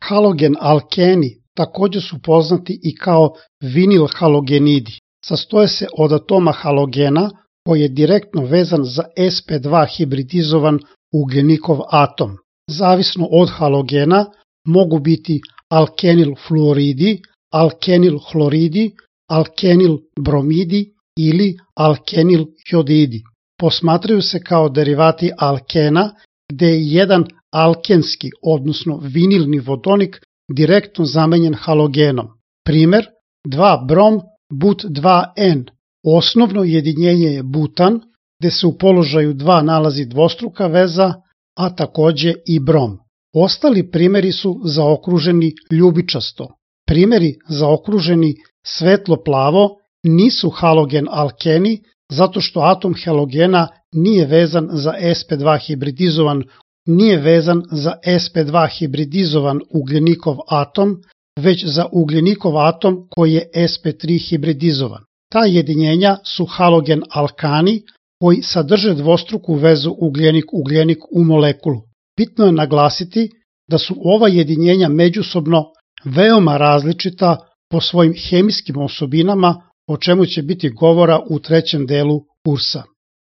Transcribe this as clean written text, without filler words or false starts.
Halogen alkeni također su poznati i kao vinil halogenidi. Sastoje se od atoma halogena koji je direktno vezan za sp2 hibridizovan ugljenikov atom. Zavisno od halogena mogu biti alkenil fluoridi, alkenil hloridi, alkenil bromidi ili alkenil jodidi. Posmatraju se kao derivati alkena gde je jedan alkenski, odnosno vinilni vodonik direktno zamenjen halogenom. Primer, 2-brom but2N. Osnovno jedinjenje je butan, gde se u položaju 2 nalazi dvostruka veza, a takođe i brom. Ostali primeri su zaokruženi ljubičasto. Primeri zaokruženi svetlo-plavo nisu halogen alkeni zato što atom halogena nije vezan za sp2 hibridizovan ugljenikov atom, već za ugljenikov atom koji je sp3 hibridizovan. Ta jedinjenja su halogen alkani koji sadrže dvostruku vezu ugljenik-ugljenik u molekulu. Bitno je naglasiti da su ova jedinjenja međusobno veoma različita po svojim hemijskim osobinama, o čemu će biti govora u trećem delu kursa.